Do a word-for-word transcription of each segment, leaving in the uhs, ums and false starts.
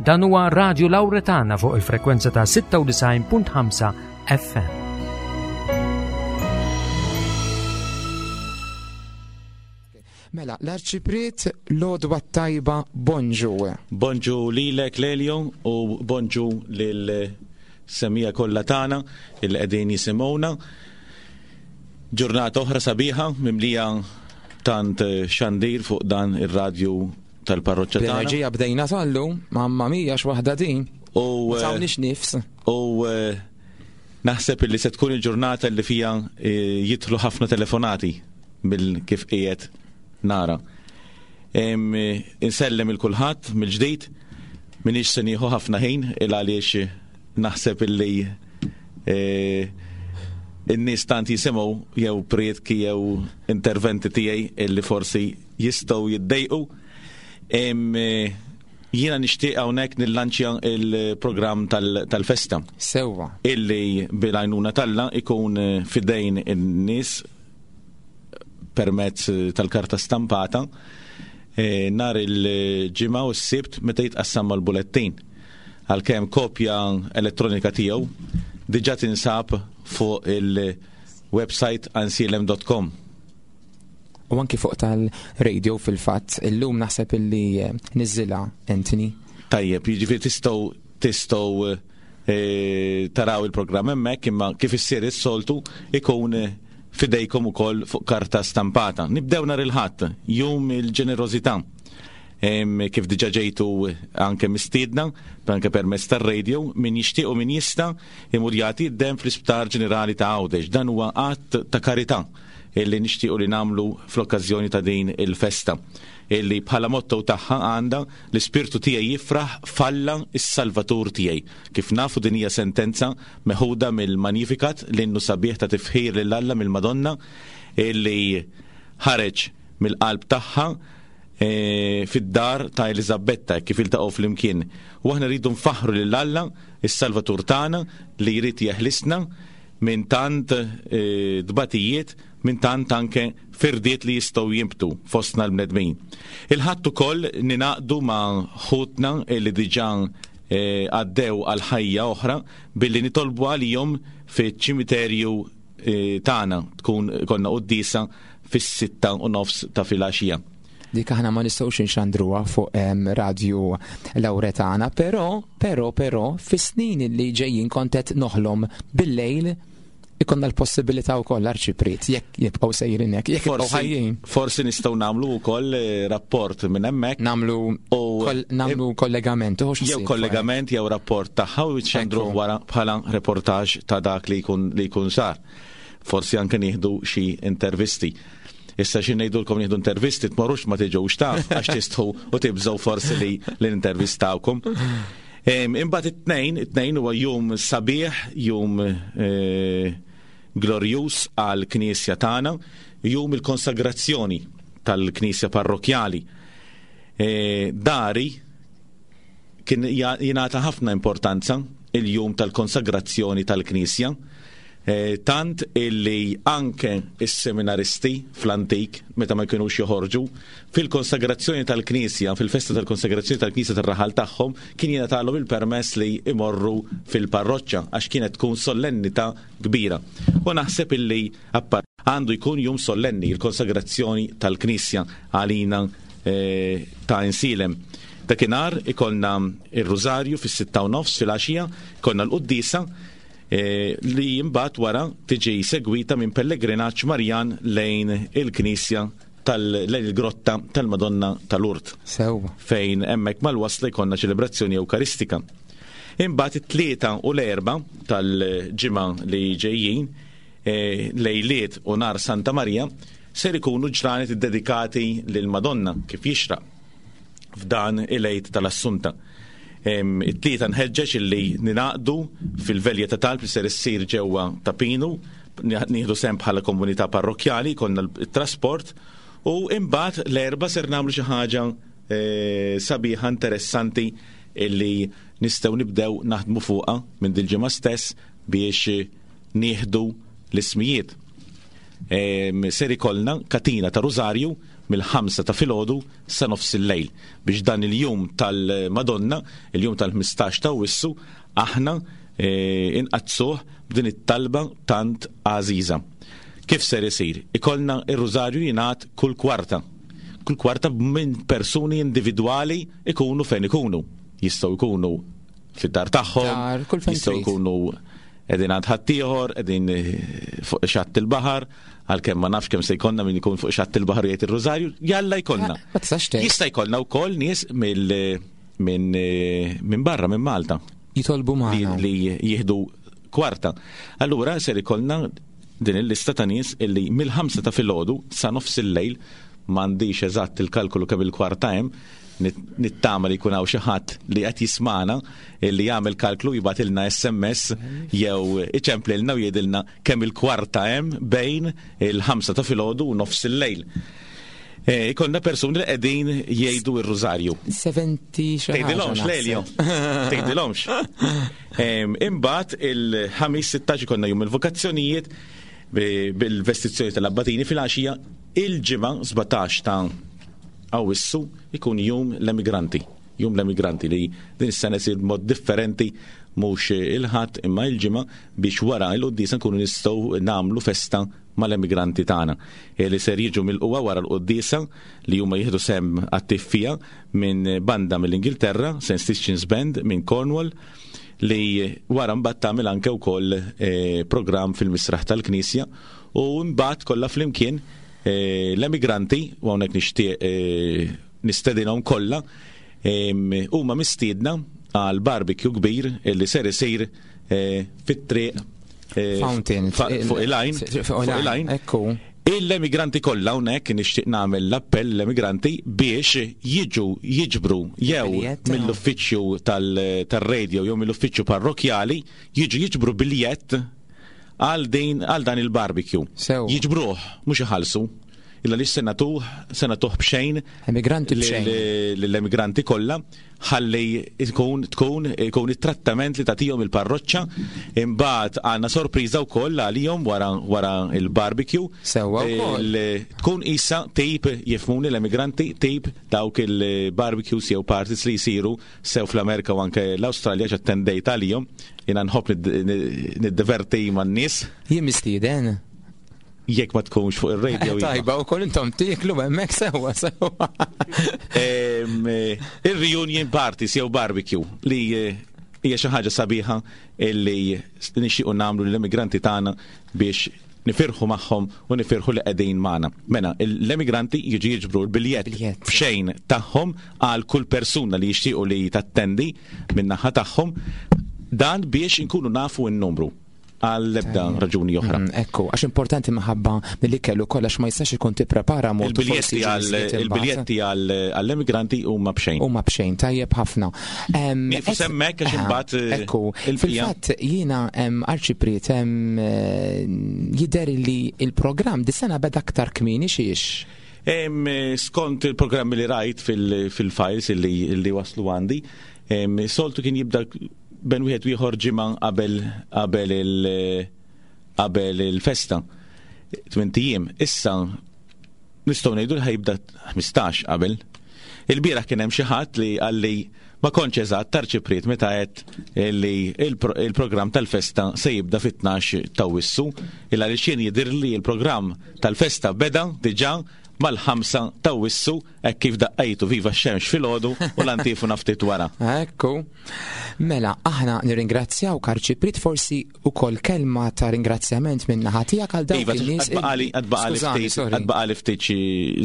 Dan huwa Radio Lauretana fuq il-frekwenza ta' sitta u disgħin punt ħamsa F M. Mela, l-Arċipriet, l-għodwa tajba, bonġu. Bonġu lilek, Lelio, u bonġu lil semmiegħa kollha tagħna il qegħdin jisimgħuna. Ġurnata oħra sabiħa mimlija tant xandir fuq dan ir-radju tal-parroċċa tagħna. L-enerġija bdejna sallu, mamma mia x'waħda din. U Ma tawniex nifs. U eh, naħseb li se tkun il-ġurnata li fija eh, jidħlu ħafna telefonati bil kif qiegħed nara. Em, eh, Insellem lil kulħadd mill-ġdid, minix se nieħu ħafna ħin il għaliex naħseb illi eh, in-nies tant jisimgħu jew prietki jew interventi tiegħi illi forsi jistgħu jiddejqu. Em, eh, Jiena nixtieq hawnhekk nillanċja il-programm tal- tal-festa Sewwa. illi bil-għajnuna t'Alla ikun eh, fidejn in-nies permezz eh, tal-karta stampata eh, nhar il-Ġimgħa u s-Sibt meta jitqassam mal-bulettin. Għalkemm kopja elettronika tiegħu diġà tinsab fuq il-website għajnsielem punt com. U anki fuq tal-radio fil-fatt, illum naħseb illi eh, niżżilha Anthony. Tajjeb, jiġifieri tistgħu tistgħu eh, taraw il-programm hemmhekk, imma kif issir is-soltu ikun eh, fidejkom ukoll fuq karta stampata. Nibdew nhar il-Ħadd, Jum il-Ġenerożità. Em, Kif diġà ġejtu anke mistiedna, anke permezz tar-radio, min jixtieq u min jista' imur jagħti d-dem fl-Isptar Ġenerali ta' Għawdex. Dan huwa att ta' karità illi nixtiequ li nagħmlu fl-okkażjoni ta' din il-festa illi bħala motto tagħha għandha "L-ispirtu tiegħi jifraħ f'Alla is-Salvatur tiegħi". Kif nafu, din hija sentenza meħuda mill-Magnificat, l-innu sabiħ ta' tifħir lil Alla mill-Madonna illi ħareġ mill-qalb tagħha e, fid-dar ta' Elizabetta kif iltaqgħu flimkien. U aħna rridu nfaħru lil Alla is-Salvatur tagħna li jrid jeħlisna minn tant e, dbatijiet, minn tant anke firdiet li jistgħu jimbtu fostna l-bnedmin. Il-Ħadd ukoll ningħaqdu ma' ħutna li diġà e, għaddew għal ħajja oħra billi nitolbu għalihom fiċ-ċimiterju e, tagħna, tkun konna quddiesa fis-sitta u nofs ta' filgħaxija. Dik aħna ma nistgħux inxandruha fuq em, Radio Lauretana, però, però, però, fis-snin li ġejjin kont qed noħlom bil-lejl ikollna l-possibilità wkoll, Arċipriet, jekk jibqgħu sejrin hekk, jekk jibqgħu ħajjin. Forsi nistgħu nagħmlu wkoll eh, rapport minn hemmhekk. Nagħmlu U kol, nagħmlu kollegament, uħux jew ħsieb, kollegament jew rapport tagħha u jitxandru Ekku. wara bħala reportaġġ ta' dak li jkun li jkun sar. Forsi anke nieħdu xi intervisti. Issa xi ngħidulkom nieħdu intervisti, tmorrux ma tiġux taf għax tistħu u tibżgħu forsi li li nintervistawkom. Em, Imbagħad it-Tnejn, it-Tnejn huwa jum sabiħ, jum eh, glorjus għal knisja tagħna, jum il-konsagrazzjoni tal-knisja parrokjali. Eh, Dari kien ja- jingħata ħafna importanza il-jum tal-konsagrazzjoni tal-Knisja. Eh, tant illi anke is-seminaristi fl-antik, meta ma jkunux joħorġu, fil-konsagrazzjoni tal-Knisja, fil-festa tal-konsagrazzjoni tal-Knisja tar-raħal tagħhom, kien jingħatalhom il-permess li imorru fil-parroċċa għax kienet tkun solennità kbira. U naħseb illi appar għandu jkun jum sollenni il-konsagrazzjoni tal-Knisja għalina eh, ta' Għajnsielem. Dakinhar ikollna il-Rużarju fis-sitta u nofs filgħaxija, ikollna l-quddiesa eh, li imbagħad wara tiġi segwita minn pellegrinaġġ Marjan lejn il-Knisja tal lejn il-grotta tal-Madonna tal-Urt Sewwa. fejn hemmhekk mal-wasla jkollna ċelebrazzjoni Ewkaristika. Imbagħad it-Tlieta u l-Erbgħa tal-ġimgħa li ġejjin, eh, lejliet u nhar Santa Marija, ser ikunu ġranet iddedikati lil Madonna kif jixraq f'dan il-Għid tal-Assunta. Em, It-Tlieta nħeġġeġ illi ningħaqdu fil-velja ta' talb li ser issir ġewwa Ta' Pinu, nieħdu sehem bħala komunità parrokjali, ikollna l-trasport u imbagħad l-Erbgħa ser nagħmlu xi ħaġa eh, sabiħa interessanti illi nistgħu nibdew naħdmu fuqha minn dil-ġimgħa stess biex nieħdu l-ismijiet. Em, Ser ikollna katina ta' Rużarju mill-ħamsa ta' filgħodu sa nofs il-lejl biex dan il-jum tal-Madonna, il-jum tal-ħmistax ta' Awwissu, aħna eh, inqaddsuh b'din it-talba tant għażiża. Kif ser isir? Ikollna ir-rużarju jingħad kull kwarta. Kull kwarta minn persuni individwali, ikunu fejn ikunu. Jistgħu jkunu fid-dar tagħhom, Dar, kull fejn jistgħu trid. jkunu qegħdin għand ħaddieħor, qegħdin eh, fuq xatt il-baħar, għalkemm ma nafx kemm se jkollna min ikun fuq xatt il-baħar u jgħid ir-rużarju, jalla jkollna. Ma tistax tgħid. Jista' jkollna wkoll nies mill minn eh, minn barra, minn Malta Jitolbu li, magħna. li jieħdu kwarta. Allura ser ikollna din il-lista ta' nies illi mill-ħamsa ta' filgħodu sa nofs il-lejl, m'għandix eżatt il-kalkolu kemm il-kwarta hemm, nit- nittama li jkun hawn xi ħadd li qed jismana li jagħmel kalklu, jibgħatilna S M S jew iċemplilna u jgħidilna kemm il-kwarta hemm bejn il-ħamsa ta' filgħodu u nofs il-lejl. Eh, Ikollna persuni li qegħdin jgħidu ir-rużarju. sebgħin xi ħaġa Tgħidilhomx, naħseb. Lelio. Tgħidilhomx. Em, Imbagħad il-Ħamis sittax ikollna jum il-vokazzjonijiet bi- bil-vestizzjoni tal-abbatini fil-għaxija. Il-Ġimgħa sbatax ta' Awwissu ikun jum l-emigranti. Jum l-emigranti li din is-sena isir b'mod differenti, mhux il-Ħadd imma il-Ġimgħa, biex wara il-quddiesa nkunu nistgħu nagħmlu festa mal-emigranti tagħna e li ser jiġu mill-qwa wara l-quddiesa li huma jieħdu sem attiv fiha minn banda mill-Ingilterra, Saint Stitchins Band minn Cornwall, li wara mbagħad tagħmel anke wkoll eh, programm fil-misraħ tal-Knisja u mbagħad kollha flimkien eh, l-emigranti, u hawnhekk nixtieq eh, nistedinhom kollha, em, huma mistiedna għal barbecue kbir li ser isir eh, fit-triq eh, Fountain. fa- fuq il-għajn. Fuq il-għajn. Ekku. Il-emigranti kollha, hawnhekk nixtieq nagħmel l-appell l-emigranti biex jiġu jiġbru jew Biljett, mill-uffiċċju tal- tar-radio jew mill-uffiċċju parrokjali, jiġu jiġbru biljett għal din għal dan il-barbecue. Sew. Jiġbruh, mhux iħallsu. Illa li se nagħtuh se nagħtuh b'xejn Emigranti b'xejn. lill-emigranti kollha ħalli ikun tkun ikun it-trattament li tagħtihom il-parroċċa. Imbagħad għandna sorpriża wkoll għalihom wara wara il-barbecue. Sewwa wkoll. Il- tkun isa tip, jifhmuni l-emigranti, tip dawk il-barbecues jew parties li jsiru sew fl-Amerika u anke l-Awstralja, x'attendejt għalihom. Jiena nħobb nid- niddiverti man-nies. Jien mistieden. Jekk ma tkunx fuq ir-radio, iva. Tajba, u koll intom tieklu hemmhekk, sewwa sewwa. Em, eh, Il-reunion parties jew barbecue li eh, hija xi ħaġa sabiħa illi nixtiequ nagħmlu lill-immigranti tagħna biex nifirħu magħhom u nifirħu li qegħdin magħna. Mela, l-emigranti jiġu jiġbru l-biljett Biljett. b'xejn tagħhom għal kull persuna li jixtiequ li tattendi min-naħa tagħhom, dan biex inkunu nafu n-numru, għal ebda raġuni oħra. Mm, Ekku, għax importanti minħabba milli kellu kollox ma jistax ikun tipprepara mod u Il-biljetti forsi għal ġieli imbagħad. Il-biljetti għal għall-emigranti huma b'xejn. Huma b'xejn, tajjeb ħafna. Em, Nieqfu es- s'hemmhekk għax Aha, imbagħad, eh, Ekku, il-bqija. fil-fatt jiena em, Arċipriet, em, eh, jidher li il-programm dis-sena beda aktar kmieni xiex. Em, eh, skont il-programmi li rajt fil- fil-files illi, illi waslu għandi, em, soltu kien jibda bejn wieħed u ieħor ġimgħa qabel qabel il- qabel il-festa. Tmint ijiem. Issa nistgħu ngħidu li ħa jibda ħmistax qabel. Il-bieraħ kien hemm xi ħadd li qalli ma kontx eżatt, Arċipriet, meta qed li il-pro- il-programm tal-festa se jibda fit-tnax ta' Awwissu, illa li xien jidher li il-programm tal-festa beda diġà mal-ħamsa ta' Awwissu hekk kif daqqajtu "Viva x-xemx" filgħodu u l-antifuna ftit wara. Ekku. Mela, aħna nirringrazzjaw, Arċipriet, forsi ukoll kelma ta' ringrazzjament minn naħa tiegħek għal dawk Iva, in-nies. għad baqagħli għad baqagħli Skużani, ftit sorry. għad baqagħli ftit xi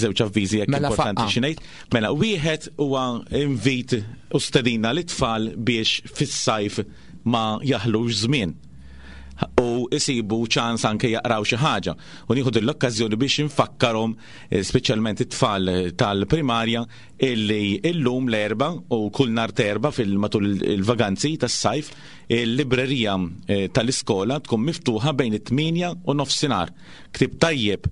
żewġ avviżi jekk Mela importanti faqqa. xi ngħid. Mela, wieħed huwa invit u stedina lit-tfal biex fis-sajf ma jaħlux żmien u isibu ċans anke jaqraw xi ħaġa. U nieħu din l-okkażjoni biex infakkarhom, eh, speċjalment it-tfal tal-primarja, illi illum l-Erbgħa u kull nhar t'Erbgħa fil-matul il-vaganzi tas-sajf il-librerija eh, tal-iskola tkun miftuħa bejn it-tmienja u nofsinhar. Ktib tajjeb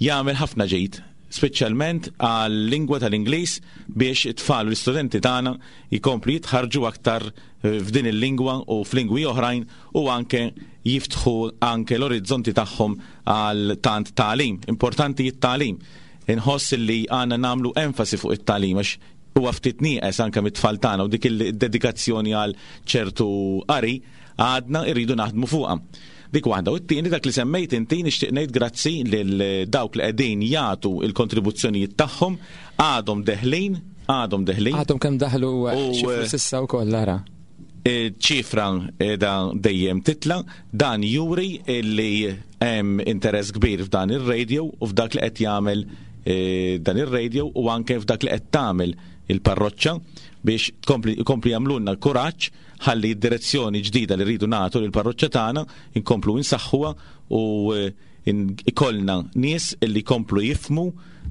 jagħmel ħafna ġid, speċjalment għal-lingwa tal-Ingliż, biex it-tfal u l-istudenti tagħna jkomplu jitħarġu aktar eh, f'din il-lingwa u f'lingwi oħrajn u anke jiftħu anke l-orizzonti tagħhom għal tant tagħlim. Importanti it-tagħlim. Inħoss li għandna nagħmlu enfasi fuq it-tagħlim għax huwa ftit nieqes anke mit-tfal tagħna u dik il-dedikazzjoni għal ċertu qari għadna irridu naħdmu fuqha. Dik waħda. U t-tieni dak li semmejt inti nixtieq ngħid grazzi lil dawk li qegħdin jagħtu il-kontribuzzjonijiet tagħhom għadhom deħlin, għadhom deħlin. Għadhom kemm daħlu xi flus issa wkoll ara. Ċifra da dejjem titla, dan juri li hemm interess kbir f'dan ir-radio u f'dak li qed jagħmel dan ir-radio u anke f'dak li qed tagħmel il-parroċċa biex tkompli jagħmlulna l-kuraġġ ħalli d-direzzjoni ġdida li rridu nagħtu lill-parroċċa tagħna inkomplu insaħħuha u ikollna nies illi jkomplu jifhmu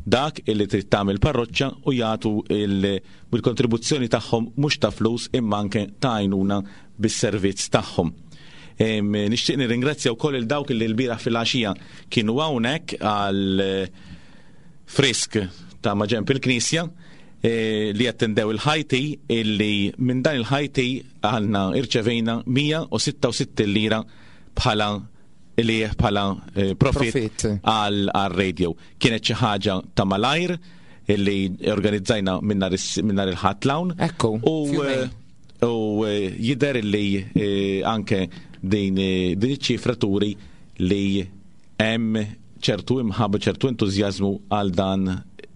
dak illi trid tagħmel parroċċa u jagħtu il-kontribuzzjoni tagħhom mhux ta' flus imma anke ta' għajnuna bis-servizz tagħhom. Nixtieq nirringrazzja wkoll il dawk illi l-bieraħ fil-għaxija kienu hawnhekk għal frisk ta' maġenb il-Knisja li attendew il-ħajti illi minn dan il-ħajti għandna irċevejna mija u sitta u sittin lira bħala li bħala profit għal radio. Kienet xi ħaġa ta' malajr illi organizzajna minn nhar il-Ħadd l-hawn. Ekku. U jidher illi anke din iċ-ċifra turi li hemm ċertu imħabba, ċertu entużjażmu għal dan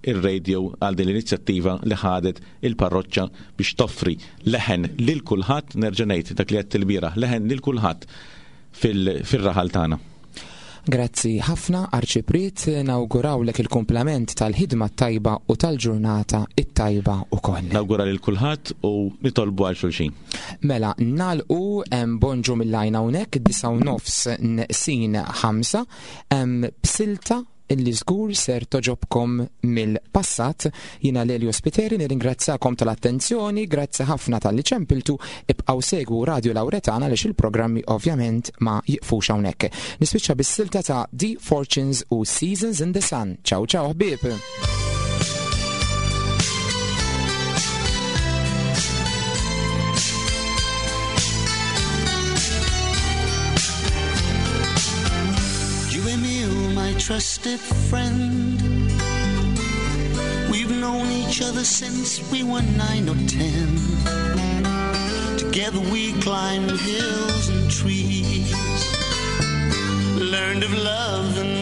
ir-radio, għal din l-inizjattiva li ħadet il-parroċċa biex toffri leħen lil kulħadd, nerġa' ngħid dak li qed il-bieraħ, leħen lil kulħadd fil-raħal tagħna. Grazzi ħafna Arċipriet, nawgurawlek il-kumplament tal-ħidma tajba u tal-ġurnata it-tajba ukoll. Nawgura lil kulħadd u nitolbu għal xulxin. Mela, nagħlqu hemm bonġu mill-lajn hawnhekk disa' u nofs neqsin ħamsa, hemm b'silta illi żgur ser toġobkom mill-passat. Jiena Lelio Spiteri nirringrazzakom tal-attenzjoni, grazzi ħafna tal-li ċempiltu, ibqgħu segwu Radio Lauretana għaliex il-programmi ovvjament ma jiqfux hawnhekk. Nispiċċa bis-silta ta' The Fortunes u Seasons in the Sun. Ciao ciao ħbieb. Trusted friend, we've known each other since we were nine or ten. Together we climbed hills and trees, learned of love and